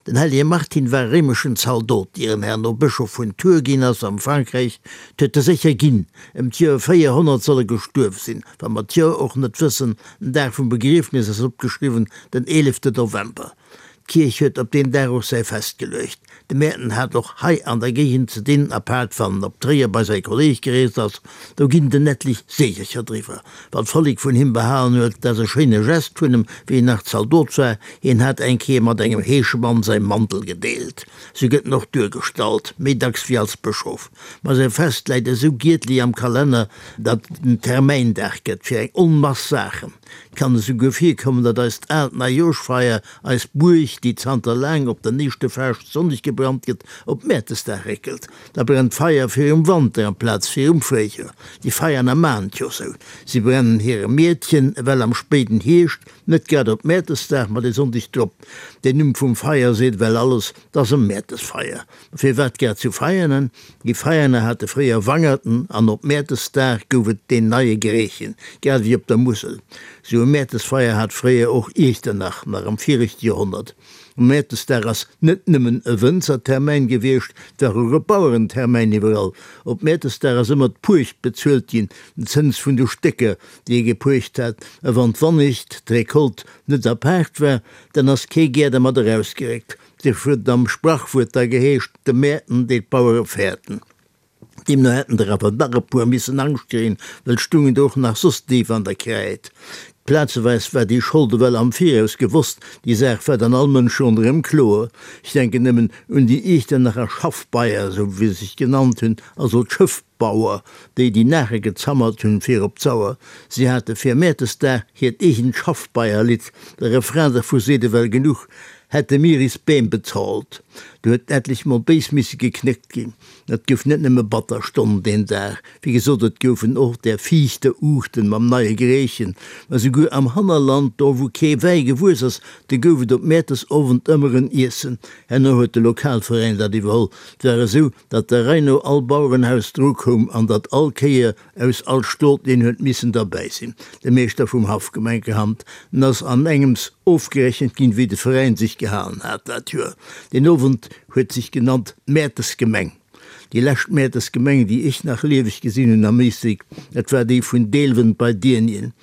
Den hellege Martin war e réimeschen Zaldot, ier en herno Bëschof vun Tours ginn ass am Frankräich. 't huet e sécher ginn. Ëm d'Joer 400 soll e gestuerf sinn, wa mer d'Joer och net wëssen. Den Dag vum Begriefnes ass opgeschriwwen, den eelefte November. D'Kierch huet op deen Dag och säi Fest geluecht. De Mäerten hat och hei an der Géigend ze dinn, apaart wann en op Tréier bei säi Kolleeg gereest ass. Do ginn den etlich Seegercher driwwer. Wat d'Vollék vun him behalen huet, dat ass e schéine Gest vun em, wéi en nach Zaldot war, hien hat eng Kéier mat engem Heeschemann säi Mantel gedeelt. Sou gëtt en och duergestallt, méi dacks wéi als Bëschof. Ma säi Fest läit esou giedli am Kalenner, datt et en Termäindag gëtt fir eng Onmass Saachen. Et kann esouguer virkommen, datt eist aalt Neijoerschfeier, eis Buerg, déi zanter laang op den éischte Faaschtsonndeg gebrannt gëtt, op Mäertesdag réckelt. Da brennt d'Feier virum Wanter amplaz virum Fréijoer. Déi Feierner maachen et jo sou. Si brennen hire Miedchen ewell am spéiden Hierscht, net grad op Mäertesdag, ma dee Sonndeg drop. Den Numm vum Feier seet ewell alles, 't ass e Mäertesfeier. Ma firwat grad zu Veianen? Déi Veianer hate fréier Wangerten an op Mäertesdag gouf et deen neie Greechen, grad ewéi op der Musel. Sou e Mäertesfeier hat fréier och Iechternach, nach am viregte Joerhonnert. Mäertesdag ass net nëmmen e Wënzertermäin gewiescht, et war och e Bauerentermäin iwwerall. Op Mäertesdag ass ëmmer d'Puecht bezuelt ginn, den Zëns vun de Stécker, déi ee gepuecht hat. A wann d'Wannicht, d'Recolte, net apaart war, dann ass kee gär dermat erausgeréckt. Duerfir huet et am Sprachwuert da geheescht, De Mäerten deet d'Bauere fäerten. Deemno hätten der awer nach e puer missen Angscht kréien, well et stungen der och nach soss déif an der Kräid. Plazeweis war déi Schold ewell am Viraus gewosst, déi Saach war dann all Mënsch ronderëm kloer. Ech denken nëmmen un déi Iechternacher Schaffbeier, esou wéi se sech genannt hunn, also d'Schëffbauer, déi déi Naache gezammert hunn fir op d'Sauer. Si hate fir Mäertesdag hiert eegent Schaffbeierlidd, de Refrain dervu seet ewell genuch, Hätte mir is Beem bezahlt. Do huet etlech mol béis misse geknéckt ginn. Et gouf net nëmme batter Stonn deen Dag, wéi gesot, et goufen och där fiichter Uuchten mam neie Greechen, mä souguer am Hannerland, do wou kee Wäi gewuess ass, do gouf et op Mäertesowend ëmmer en Iessen. Herno huet de Lokalveräin dat iwwerholl. Et war esou, datt der Rei no all Bauerenhaus dru koum an datt all Kéier aus all Stot een huet missen derbäi sinn. De Meeschter vum Haff, Gemenkerhand, en ass an engems ofgerechent ginn, wéi de Veräin sech gehalen hat dat Joer. Deen Owend huet sech genannt d'Mäertesgemeng. Déi lescht Mäertesgemeng, déi ech nach lieweg gesinn hunn am Éislek, dat war déi vun Deelwen bei Diernien.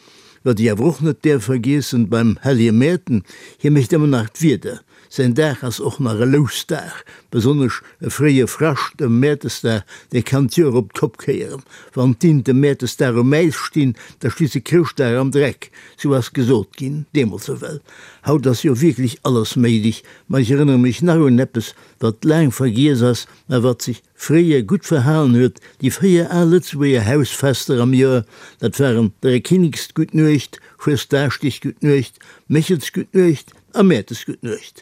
Wat ech awer och net däerf vergiessen beim hellege Mäerten, hie mécht ëmmer nach d'Wieder. Säin Dag ass och nach e Lousdag, besonnesch e fréie Frascht ëm Mäertesdag, dee kann d'Joer op d'Kopp kéieren. Wann d'Int ëm Mäertesdag um Äis stinn, da sti se Chrëschtdag am Dreck, sou ass gesot ginn, deemools ewell. Haut ass jo wierklech alles méiglech, ma ech erënnere mech nach un eppes, wat laang vergiess ass, mä wat sech fréier gutt verhalen huet, déi 4 al Lëtzebuerger Hausfester am Joer, dat waren Dräikinniksguttnuecht, Fuesdaaschdegguttnuecht, Méchelsguttnuecht a Mäertesguttnuecht.